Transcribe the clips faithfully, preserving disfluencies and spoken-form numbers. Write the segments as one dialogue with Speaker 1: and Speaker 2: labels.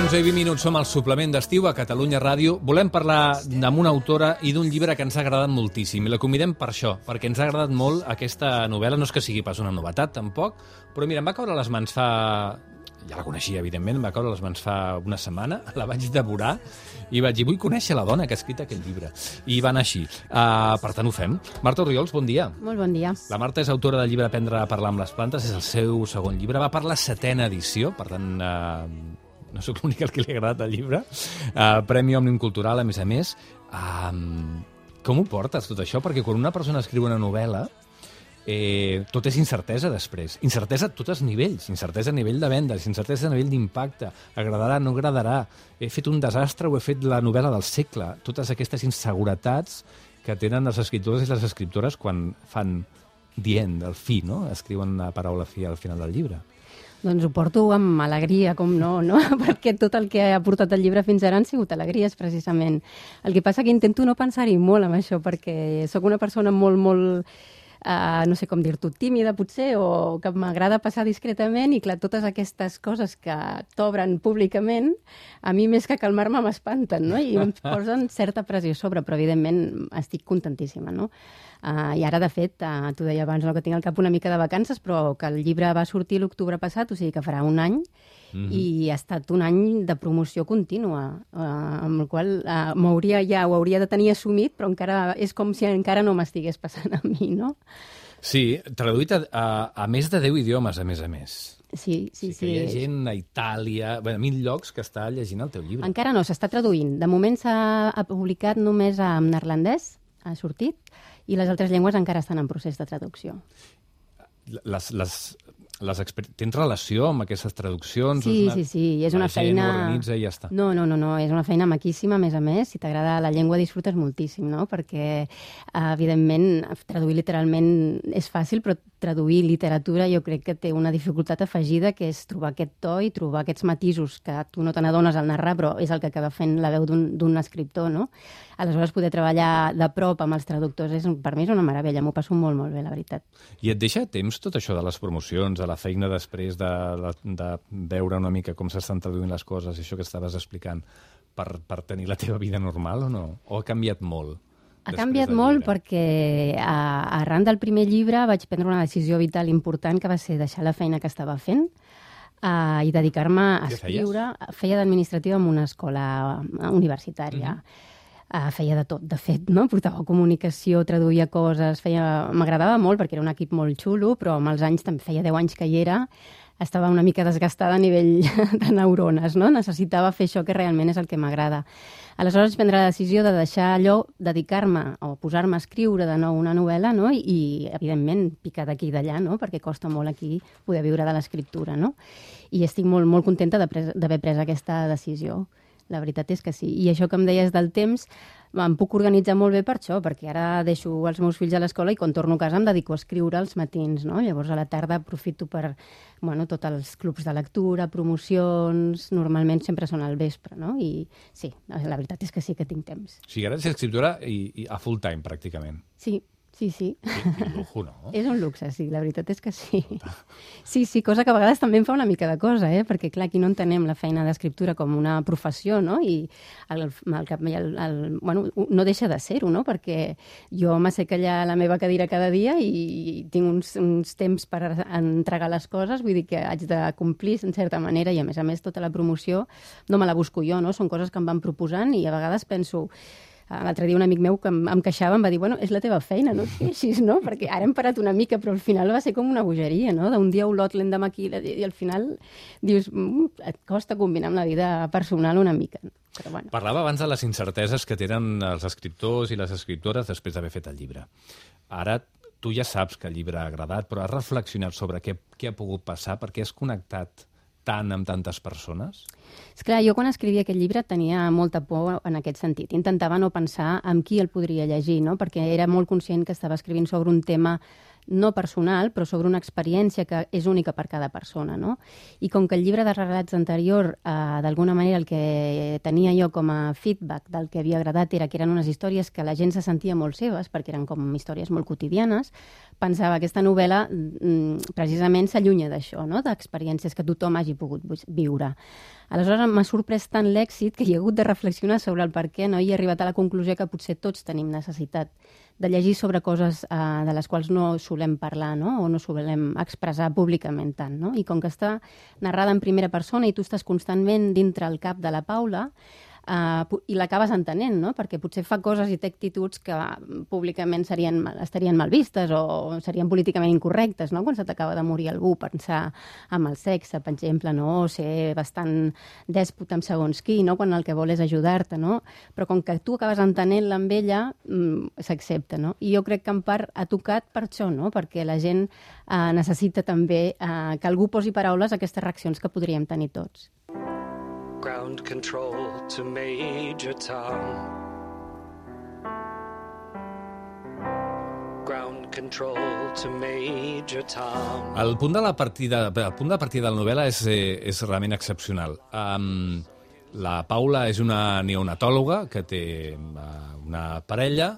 Speaker 1: onze i vint minuts som al suplement d'estiu a Catalunya Ràdio. Volem parlar amb una autora i d'un llibre que ens ha agradat moltíssim. I la convidem per això, perquè ens ha agradat molt aquesta novel·la. No és que sigui pas una novetat, tampoc, però mira, em va caure a les mans fa... Ja la coneixia, evidentment, em va caure a les mans fa una setmana, la vaig devorar i vaig dir, vull conèixer la dona que ha escrit aquest llibre. I va anar així. Uh, per tant, ho fem. Marta Orriols, bon dia.
Speaker 2: Molt bon dia.
Speaker 1: La Marta és autora del llibre Aprendre a parlar amb les plantes, és el seu segon llibre, va per la setena edició, per tant... Uh, no sóc l'únic al que li ha agradat el llibre, uh, Premi Òmnium Cultural, a més a més. Um, com ho portes, tot això? Perquè quan una persona escriu una novel·la, eh, tot és incertesa després. Incertesa a tots els nivells. Incertesa a nivell de vendes, incertesa a nivell d'impacte. Agradarà, no agradarà. He fet un desastre o he fet la novel·la del segle. Totes aquestes inseguretats que tenen els escriptors i les escriptores quan fan dient, el fi, no? Escriuen la paraula fi al final del llibre.
Speaker 2: Doncs ho porto amb alegria, com no, no? Perquè tot el que ha portat el llibre fins ara han sigut alegries, precisament. El que passa que intento no pensar-hi molt amb això, perquè sóc una persona molt, molt, uh, no sé com dir-t'ho, tímida, potser, o que m'agrada passar discretament, i clar, totes aquestes coses que t'obren públicament, a mi més que calmar-me m'espanten, no? I em posen certa pressió sobre, però evidentment estic contentíssima, no? Uh, I ara, de fet, uh, t'ho deia abans, no, que tinc al cap una mica de vacances, però que el llibre va sortir l'octubre passat, o sigui que farà un any, mm-hmm. i ha estat un any de promoció contínua, uh, amb el qual uh, m'hauria ja, ho hauria de tenir assumit, però encara és com si encara no m'estigués passant a mi, no?
Speaker 1: Sí, traduït a, a, a més de deu idiomes, a més a més.
Speaker 2: Sí, sí, sí.
Speaker 1: sí hi ha gent a Itàlia, bé, a mil llocs que està llegint el teu llibre.
Speaker 2: Encara no, s'està traduint. De moment s'ha publicat només en neerlandès, ha sortit, i les altres llengües encara estan en procés de traducció.
Speaker 1: Les, les, les exper... Tens relació amb aquestes traduccions?
Speaker 2: Sí,
Speaker 1: una...
Speaker 2: sí, sí, és una
Speaker 1: la
Speaker 2: feina...
Speaker 1: gent ho organitza i ja està.
Speaker 2: No, no, no, no, és una feina maquíssima, a més a més. Si t'agrada la llengua, disfrutes moltíssim, no? Perquè, evidentment, traduir literalment és fàcil, però traduir literatura jo crec que té una dificultat afegida, que és trobar aquest to i trobar aquests matisos que tu no te n'adones al narrar, però és el que acaba fent la veu d'un escriptor, no? Aleshores, poder treballar de prop amb els traductors és, per mi és una meravella, m'ho passo molt, molt bé, la veritat.
Speaker 1: I et deixa temps tot això de les promocions, de la feina després de, de, de veure una mica com s'estan traduint les coses, això que estaves explicant, per, per tenir la teva vida normal o no? O ha canviat molt?
Speaker 2: Ha canviat molt perquè a, arran del primer llibre vaig prendre una decisió vital important, que va ser deixar la feina que estava fent uh, i dedicar-me a escriure. Feia d'administrativa en una escola universitària. Mm-hmm. Uh, feia de tot, de fet, no? Portava comunicació, traduïa coses, feia... m'agradava molt perquè era un equip molt xulo, però amb els anys, també feia deu anys que hi era, estava una mica desgastada a nivell de neurones, no? Necessitava fer això que realment és el que m'agrada. Aleshores vaig prendre la decisió de deixar allò, dedicar-me o posar-me a escriure de nou una novel·la, no? I, i evidentment, picar d'aquí i d'allà, no? Perquè costa molt aquí poder viure de l'escriptura, no? I estic molt, molt contenta d'haver pres aquesta decisió. La veritat és que sí. I això que em deies del temps, em puc organitzar molt bé per això, perquè ara deixo els meus fills a l'escola i quan torno a casa em dedico a escriure als matins, no? Llavors a la tarda aprofito per, bueno, tots els clubs de lectura, promocions, normalment sempre són al vespre, no? I sí, la veritat és que sí que tinc temps.
Speaker 1: O sigui, ara ets escriptora i, i a full time, pràcticament.
Speaker 2: Sí. Sí, sí.
Speaker 1: Quin lujo, no?
Speaker 2: És un luxe, sí, la veritat és que sí. Sí, sí, cosa que a vegades també em fa una mica de cosa, eh? Perquè, clar, aquí no entenem la feina d'escriptura com una professió, no? I el, el, el, el, bueno, no deixa de ser-ho, no? Perquè jo m'assec allà a la meva cadira cada dia i tinc uns, uns temps per entregar les coses, vull dir que haig de complir en certa manera i, a més a més, tota la promoció no me la busco jo, no? Són coses que em van proposant i a vegades penso... L'altre dia un amic meu que em, em queixava em va dir, bueno, és la teva feina, no et queixis, no? Perquè ara hem parat una mica, però al final va ser com una bogeria, no? D'un dia a Olot, l'endemà aquí, i al final dius, mm, et costa combinar amb la vida personal una mica. Però bueno.
Speaker 1: Parlava abans de les incerteses que tenen els escriptors i les escriptores després d'haver fet el llibre. Ara tu ja saps que el llibre ha agradat, però has reflexionat sobre què, què ha pogut passar, perquè has connectat tant amb tantes persones?
Speaker 2: Esclar, jo quan escrivia aquest llibre tenia molta por en aquest sentit. Intentava no pensar en qui el podria llegir, no? Perquè era molt conscient que estava escrivint sobre un tema no personal, però sobre una experiència que és única per cada persona, no? I com que el llibre de relats anterior, eh, d'alguna manera el que tenia jo com a feedback del que havia agradat era que eren unes històries que la gent se sentia molt seves, perquè eren com històries molt quotidianes, pensava que aquesta novel·la mm, precisament s'allunya d'això, no? D'experiències que tothom hagi pogut viure. Aleshores m'ha sorprès tant l'èxit que hi he hagut de reflexionar sobre el per què, no? I he arribat a la conclusió que potser tots tenim necessitat de llegir sobre coses eh, de les quals no solem parlar, no? O no solem expressar públicament tant, no? I com que està narrada en primera persona i tu estàs constantment dintre el cap de la Paula, Uh, i l'acabes entenent, no? Perquè potser fa coses i té actituds que públicament serien, estarien mal vistes o serien políticament incorrectes, no? Quan se t'acaba de morir algú, pensar amb el sexe, per exemple, no? O ser bastant dèspota amb segons qui, no? Quan el que vol és ajudar-te, no? Però com que tu acabes entenent-la amb ella, mm, s'accepta, no? I jo crec que en part ha tocat per això, no? Perquè la gent uh, necessita també uh, que algú posi paraules a aquestes reaccions que podríem tenir tots.
Speaker 3: Ground control to Major Tom. Ground control to Major Tom.
Speaker 1: El punt de la partida, el punt de partida de la novel·la és, eh, és realment excepcional. Um, la Paula és una neonatòloga que té uh, una parella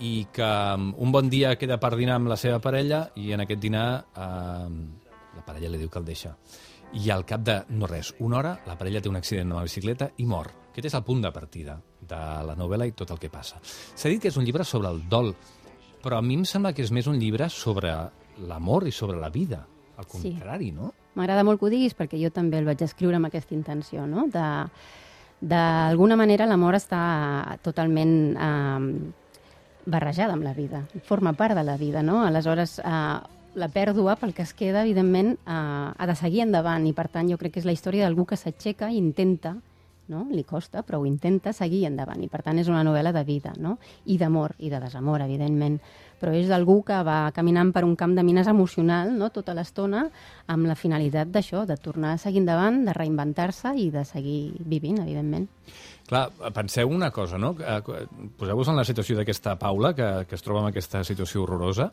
Speaker 1: i que um, un bon dia queda per dinar amb la seva parella i en aquest dinar uh, la parella li diu que el deixa. I al cap de, no res, una hora, la parella té un accident amb la bicicleta i mor. Aquest és el punt de partida de la novel·la i tot el que passa. S'ha dit que és un llibre sobre el dol, però a mi em sembla que és més un llibre sobre l'amor i sobre la vida. Al contrari, sí. No?
Speaker 2: M'agrada molt que ho diguis perquè jo també el vaig escriure amb aquesta intenció, no? De, d'alguna manera l'amor està totalment eh, barrejada amb la vida, forma part de la vida, no? Aleshores, eh, la pèrdua, pel que es queda, evidentment, eh, ha de seguir endavant i, per tant, jo crec que és la història d'algú que s'aixeca i intenta, no? Li costa, però ho intenta seguir endavant i, per tant, és una novel·la de vida, no? I d'amor, i de desamor, evidentment. Però és d'algú que va caminant per un camp de mines emocional, no?, tota l'estona, amb la finalitat d'això, de tornar a seguir endavant, de reinventar-se i de seguir vivint, evidentment.
Speaker 1: Clar, penseu una cosa, no? Poseu-vos en la situació d'aquesta Paula, que, que es troba en aquesta situació horrorosa,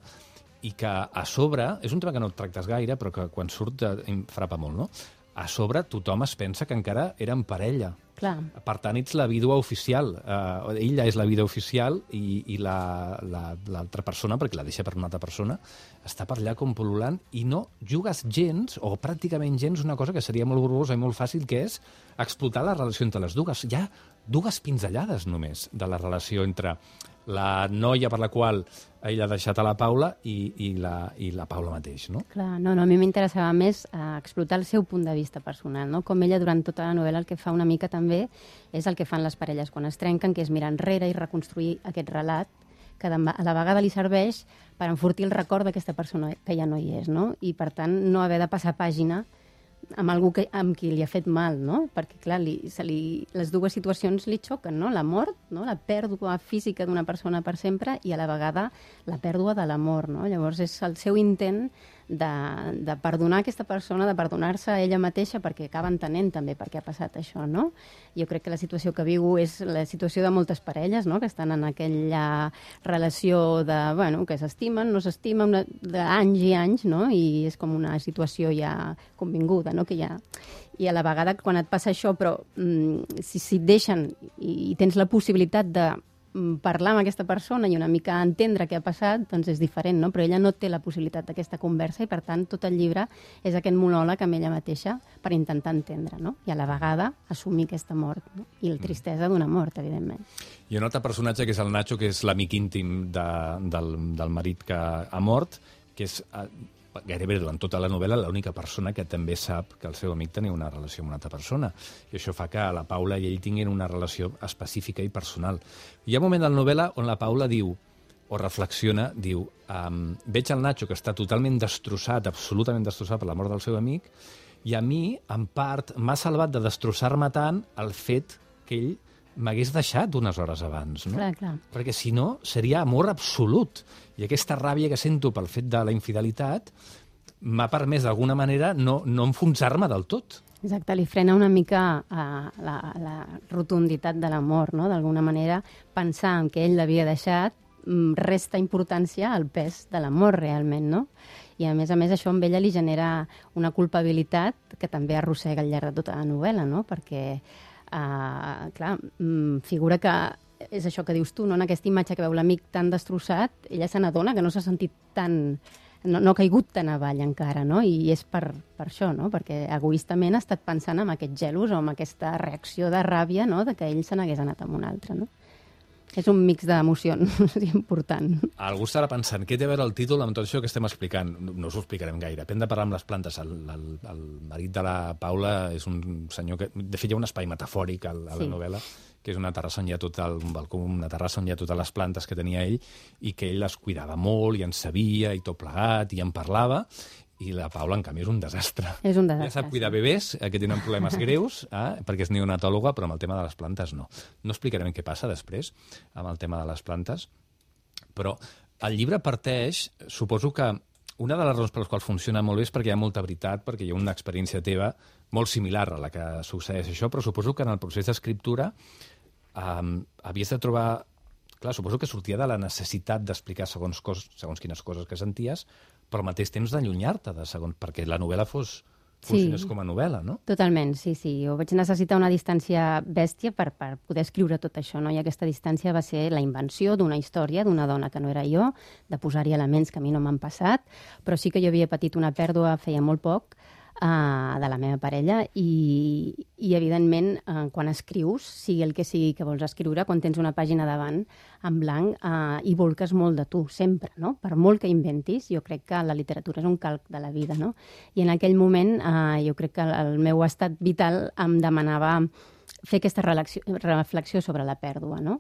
Speaker 1: i que a sobre, és un tema que no tractes gaire, però que quan surt em frapa molt, no? A sobre tothom es pensa que encara eren parella.
Speaker 2: Clar.
Speaker 1: Per tant, ets la vídua oficial. Uh, ella és la vídua oficial i, i la, la, l'altra persona, perquè la deixa per una altra persona, està per allà com pol·lulant i no jugues gens, o pràcticament gens, una cosa que seria molt borbosa i molt fàcil, que és explotar la relació entre les dues. Hi ha dues pinzellades només de la relació entre la noia per la qual ell ha deixat a la Paula i, i, la, i la Paula mateix, no?
Speaker 2: Clar, no, no, a mi m'interessava més eh, explotar el seu punt de vista personal, no? Com ella durant tota la novel·la el que fa una mica també és el que fan les parelles quan es trenquen, que és mirar enrere i reconstruir aquest relat que a la vegada li serveix per enfortir el record d'aquesta persona que ja no hi és, no? I per tant no haver de passar pàgina amb algú que, amb qui li ha fet mal, no? Perquè, clar, li, se li, les dues situacions li xoquen, no? La mort, no? La pèrdua física d'una persona per sempre i a la vegada la pèrdua de l'amor, no? Llavors és el seu intent de, de perdonar aquesta persona, de perdonar-se a ella mateixa perquè acaba entenent també per què ha passat això, no? Jo crec que la situació que viu és la situació de moltes parelles, no? Que estan en aquella relació de, bueno, que s'estimen, no s'estimen, d'anys i anys, no? I és com una situació ja convinguda, no? Que ja... I a la vegada, quan et passa això, però mm, si, si et deixen i, i tens la possibilitat de parlar amb aquesta persona i una mica entendre què ha passat, doncs és diferent, no? Però ella no té la possibilitat d'aquesta conversa i, per tant, tot el llibre és aquest monòleg amb ella mateixa per intentar entendre, no? I a la vegada assumir aquesta mort, no? I la tristesa d'una mort, evidentment.
Speaker 1: Hi ha un altre personatge que és el Nacho, que és l'amic íntim de, del, del marit que ha mort, que és gairebé durant tota la novel·la l'única persona que també sap que el seu amic tenia una relació amb una altra persona. I això fa que la Paula i ell tinguin una relació específica i personal. Hi ha un moment de la novel·la on la Paula diu, o reflexiona, diu, um, veig el Nacho que està totalment destrossat, absolutament destrossat per la mort del seu amic, i a mi, en part, m'ha salvat de destrossar-me tant el fet que ell m'hagués deixat unes hores abans, no?
Speaker 2: Clar, clar.
Speaker 1: Perquè si no, seria amor absolut. I aquesta ràbia que sento pel fet de la infidelitat m'ha permès d'alguna manera no, no enfonsar-me del tot.
Speaker 2: Exacte, li frena una mica uh, la, la rotunditat de l'amor, no? D'alguna manera, pensar en que ell l'havia deixat resta importància al pes de l'amor realment, no? I a més a més això amb ella li genera una culpabilitat que també arrossega al llarg de tota la novel·la, no? Perquè, uh, clar, figura que és això que dius tu, no? En aquesta imatge que veu l'amic tan destrossat, ella se n'adona que no s'ha sentit tan... No, no ha caigut tan avall encara, no? I és per, per això, no? Perquè egoistament ha estat pensant en aquest gelos o en aquesta reacció de ràbia, no? De que ell se n'hagués anat amb un altre, no? És un mix d'emocions important.
Speaker 1: Algú estarà pensant, què té a veure el títol amb tot això que estem explicant? No, no us ho explicarem gaire. Hem de parlar amb les plantes. El, el, el marit de la Paula és un senyor que... De fet, hi ha un espai metafòric a, a la sí. novel·la, que és una terrassa on hi ha tot el, un balcó, una terrassa on hi ha totes les plantes que tenia ell i que ell les cuidava molt i en sabia i tot plegat i en parlava. I la Paula, en canvi, és un desastre.
Speaker 2: És un desastre.
Speaker 1: Ja sap cuidar bebès, que tenen problemes greus, eh, perquè és neonatòloga, però amb el tema de les plantes no. No explicarem què passa després amb el tema de les plantes, però el llibre parteix, suposo que una de les raons per les quals funciona molt bé és perquè hi ha molta veritat, perquè hi ha una experiència teva molt similar a la que succeeix això, però suposo que en el procés d'escriptura eh, havies de trobar... Clar, suposo que sortia de la necessitat d'explicar segons, cos, segons quines coses que senties, però al mateix temps d'allunyar-te de segons, perquè la novel·la fos, funcionés sí, com a novel·la, no?
Speaker 2: Totalment, sí, sí. Jo vaig necessitar una distància bèstia per, per poder escriure tot això, no? I aquesta distància va ser la invenció d'una història d'una dona que no era jo, de posar-hi elements que a mi no m'han passat, però sí que jo havia patit una pèrdua feia molt poc, Uh, de la meva parella i, i evidentment, uh, quan escrius, sigui el que sigui que vols escriure, quan tens una pàgina davant en blanc uh, i volques molt de tu, sempre, no? Per molt que inventis, jo crec que la literatura és un calc de la vida, no? I en aquell moment uh, jo crec que el meu estat vital em demanava fer aquesta reflexió sobre la pèrdua, no?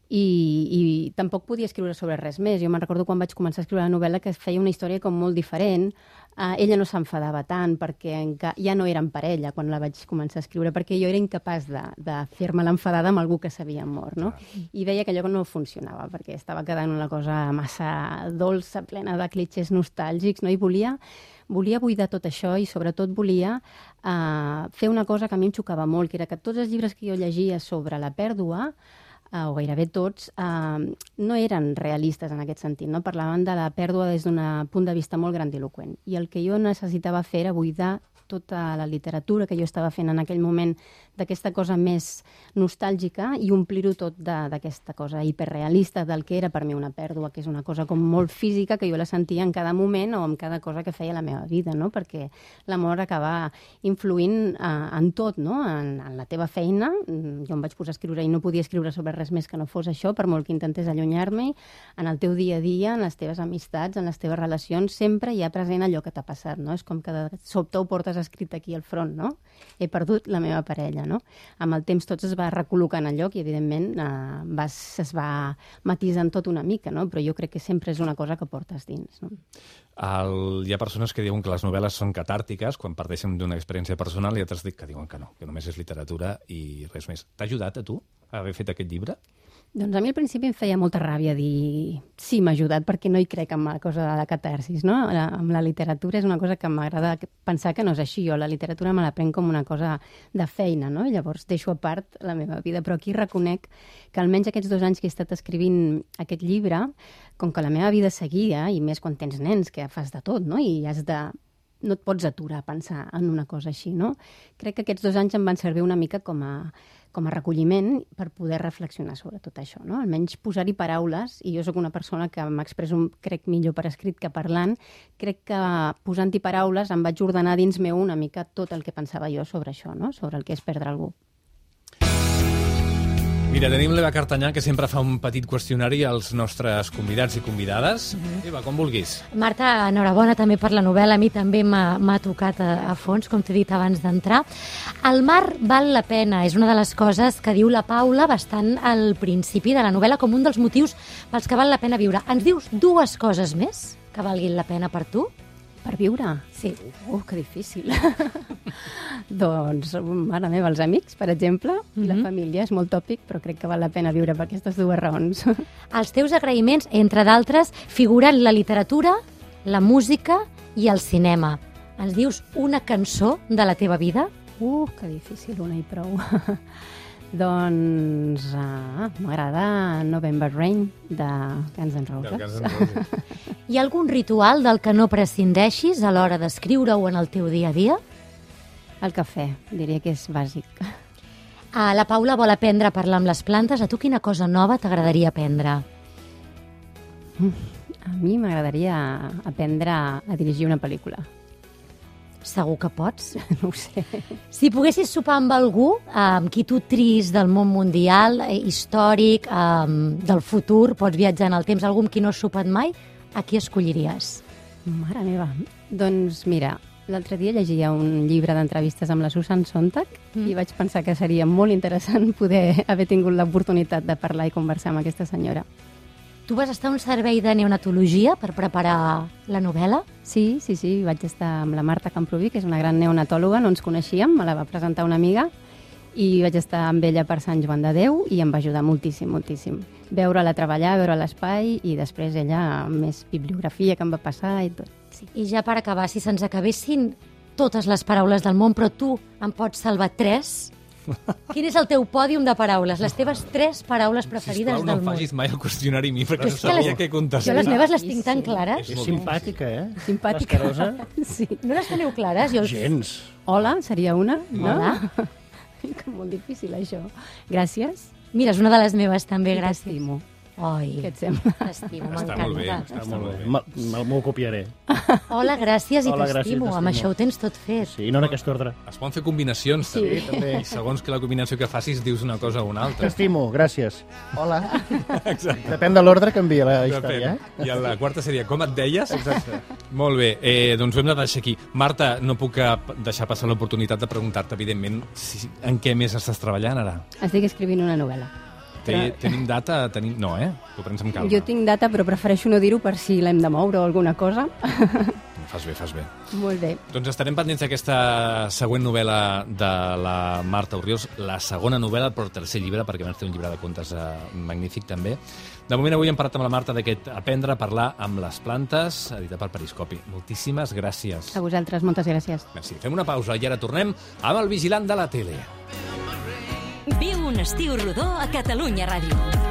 Speaker 2: I, i tampoc podia escriure sobre res més. Jo me'n recordo quan vaig començar a escriure la novel·la que feia una història com molt diferent. Uh, ella no s'enfadava tant perquè enca... ja no eren parella quan la vaig començar a escriure, perquè jo era incapaç de, de fer-me l'enfadada amb algú que s'havia mort, no? I veia que allò no funcionava perquè estava quedant una cosa massa dolça, plena de clitxers nostàlgics, no? I volia... Volia buidar tot això i sobretot volia uh, fer una cosa que a mi em xocava molt, que era que tots els llibres que jo llegia sobre la pèrdua, Uh, o gairebé tots, uh, no eren realistes en aquest sentit, no? Parlaven de la pèrdua des d'un punt de vista molt grandiloquent. I el que jo necessitava fer era buidar tota la literatura que jo estava fent en aquell moment d'aquesta cosa més nostàlgica i omplir-ho tot d'aquesta cosa hiperrealista del que era per mi una pèrdua, que és una cosa com molt física, que jo la sentia en cada moment o en cada cosa que feia la meva vida, no? Perquè l'amor acaba influint uh, en tot, no? En, en la teva feina. Jo em vaig posar a escriure i no podia escriure sobre res més que no fos això, per molt que intentés allunyar-me, en el teu dia a dia, en les teves amistats, en les teves relacions, sempre hi ha present allò que t'ha passat, no? És com que de sobte ho portes escrit aquí al front, no? He perdut la meva parella, no? Amb el temps tot es va recol·locant al lloc i, evidentment, eh, vas, es va matisant tot una mica, no? Però jo crec que sempre és una cosa que portes dins, no?
Speaker 1: El, hi ha persones que diuen que les novel·les són catàrtiques quan parteixen d'una experiència personal i altres que diuen que no, que només és literatura i res més. T'ha ajudat a tu a haver fet aquest llibre?
Speaker 2: Doncs a mi al principi em feia molta ràbia dir sí, m'ha ajudat, perquè no hi crec en la cosa de la catarsis, no? La, amb la literatura és una cosa que m'agrada pensar que no és així. Jo la literatura me la prenc com una cosa de feina, no? I llavors deixo a part la meva vida. Però aquí reconec que almenys aquests dos anys que he estat escrivint aquest llibre, com que la meva vida seguia, i més quan tens nens, que fas de tot, no? I has de... no et pots aturar a pensar en una cosa així, no? Crec que aquests dos anys em van servir una mica com a com a recolliment per poder reflexionar sobre tot això, no? Almenys posar-hi paraules, i jo sóc una persona que m'expresso, crec, millor per escrit que parlant, crec que posant-hi paraules em vaig ordenar dins meu una mica tot el que pensava jo sobre això, no? Sobre el que és perdre algú.
Speaker 1: Mira, tenim l'Eva Cartanyà, que sempre fa un petit qüestionari als nostres convidats i convidades. Mm-hmm. Eva, com vulguis.
Speaker 4: Marta, enhorabona també per la novel·la. A mi també m'ha tocat a, a fons, com t'he dit abans d'entrar. El mar val la pena. És una de les coses que diu la Paula bastant al principi de la novel·la com un dels motius pels que val la pena viure. Ens dius dues coses més que valguin la pena per tu?
Speaker 2: Per viure?
Speaker 4: Sí.
Speaker 2: Uh, que difícil. Doncs, mare meva, els amics, per exemple, mm-hmm. i la família, és molt tòpic, però crec que val la pena viure per aquestes dues raons.
Speaker 4: Els teus agraïments, entre d'altres, figuren la literatura, la música i el cinema. Ens dius una cançó de la teva vida?
Speaker 2: Uh, que difícil, una i prou. Doncs uh, m'agrada November Rain de Guns N' Roses.
Speaker 1: Guns N' Roses.
Speaker 4: Hi ha algun ritual del que no prescindeixis a l'hora d'escriure-ho en el teu dia a dia?
Speaker 2: El cafè, diria que és bàsic.
Speaker 4: Ah, la Paula vol aprendre a parlar amb les plantes. A tu quina cosa nova t'agradaria aprendre?
Speaker 2: A mi m'agradaria aprendre a dirigir una pel·lícula.
Speaker 4: Segur que pots?
Speaker 2: No ho sé.
Speaker 4: Si poguessis sopar amb algú, amb qui tu tris del món mundial, eh, històric, eh, del futur, pots viatjar en el temps, algú amb qui no has sopat mai, a qui escolliries?
Speaker 2: Mare meva. Doncs mira, l'altre dia llegia un llibre d'entrevistes amb la Susan Sontag mm. i vaig pensar que seria molt interessant poder haver tingut l'oportunitat de parlar i conversar amb aquesta senyora.
Speaker 4: Tu vas estar a un servei de neonatologia per preparar la novel·la?
Speaker 2: Sí, sí, sí, vaig estar amb la Marta Camproví, que és una gran neonatòloga, no ens coneixíem, me la va presentar una amiga, i vaig estar amb ella per Sant Joan de Déu i em va ajudar moltíssim, moltíssim. Veure-la treballar, veure l'espai i després ella més bibliografia que em va passar i tot. Sí.
Speaker 4: I ja per acabar, si se'ns acabessin totes les paraules del món, però tu en pots salvar tres, quin és el teu pòdium de paraules? Les teves tres paraules preferides
Speaker 1: Sisplau,
Speaker 4: del
Speaker 1: no
Speaker 4: món.
Speaker 1: em facis mai el qüestionari a mi, perquè no
Speaker 4: És que
Speaker 1: sabia
Speaker 4: les-
Speaker 1: què contestar.
Speaker 4: Jo les meves les
Speaker 2: Sí,
Speaker 4: tinc tan
Speaker 2: sí.
Speaker 4: clares.
Speaker 5: És simpàtica, eh?
Speaker 2: Simpàtica.
Speaker 5: L'escarosa?
Speaker 2: Sí.
Speaker 4: No les teniu clares? Jo...
Speaker 5: Gens.
Speaker 2: Hola, seria una, no?
Speaker 4: Hola.
Speaker 2: Que molt difícil, això. Gràcies.
Speaker 4: Mira, és una de les meves també,
Speaker 2: I
Speaker 4: gràcies.
Speaker 2: t'estimo.
Speaker 4: Ai,
Speaker 2: Què et sembla?
Speaker 4: t'estimo,
Speaker 1: Està molt bé,
Speaker 4: m'encanta.
Speaker 1: està molt bé.
Speaker 5: Me- me- M'ho copiaré.
Speaker 4: Hola, gràcies i
Speaker 5: Hola, gràcies,
Speaker 4: t'estimo. Amb
Speaker 5: t'estimo.
Speaker 4: això ho tens tot fet.
Speaker 5: Sí, no en aquest ordre.
Speaker 1: Es poden fer combinacions,
Speaker 2: Sí.
Speaker 1: també. també. I segons que la combinació que facis dius una cosa o una altra.
Speaker 5: T'estimo, gràcies. Hola.
Speaker 1: Exacte.
Speaker 5: Depèn de l'ordre que envia la història,
Speaker 1: Depèn.
Speaker 5: eh?
Speaker 1: I la quarta seria, com et deies?
Speaker 5: Exacte.
Speaker 1: Molt bé, eh, doncs ho hem de deixar aquí. Marta, no puc eh, deixar passar l'oportunitat de preguntar-te, evidentment, si, en què més estàs treballant ara?
Speaker 2: Estic escrivint una novel·la.
Speaker 1: Té,
Speaker 2: Però-
Speaker 1: tenim data? Tenim... No, eh? T'ho prens amb calma.
Speaker 2: Jo tinc data, però prefereixo no dir-ho per si l'hem de moure o alguna cosa.
Speaker 1: Fas bé, fas bé.
Speaker 2: Molt bé.
Speaker 1: Doncs estarem pendents d'aquesta següent novel·la de la Marta Orriols, la segona novel·la, però el tercer llibre, perquè abans té un llibre de contes eh, magnífic també. De moment avui hem parlat amb la Marta d'aquest Aprendre a parlar amb les plantes, editat per Periscopi. Moltíssimes gràcies.
Speaker 2: A vosaltres, moltes gràcies.
Speaker 1: Merci. Fem una pausa i ara tornem amb el vigilant de la tele.
Speaker 6: Viu un estiu rodó a Catalunya Ràdio.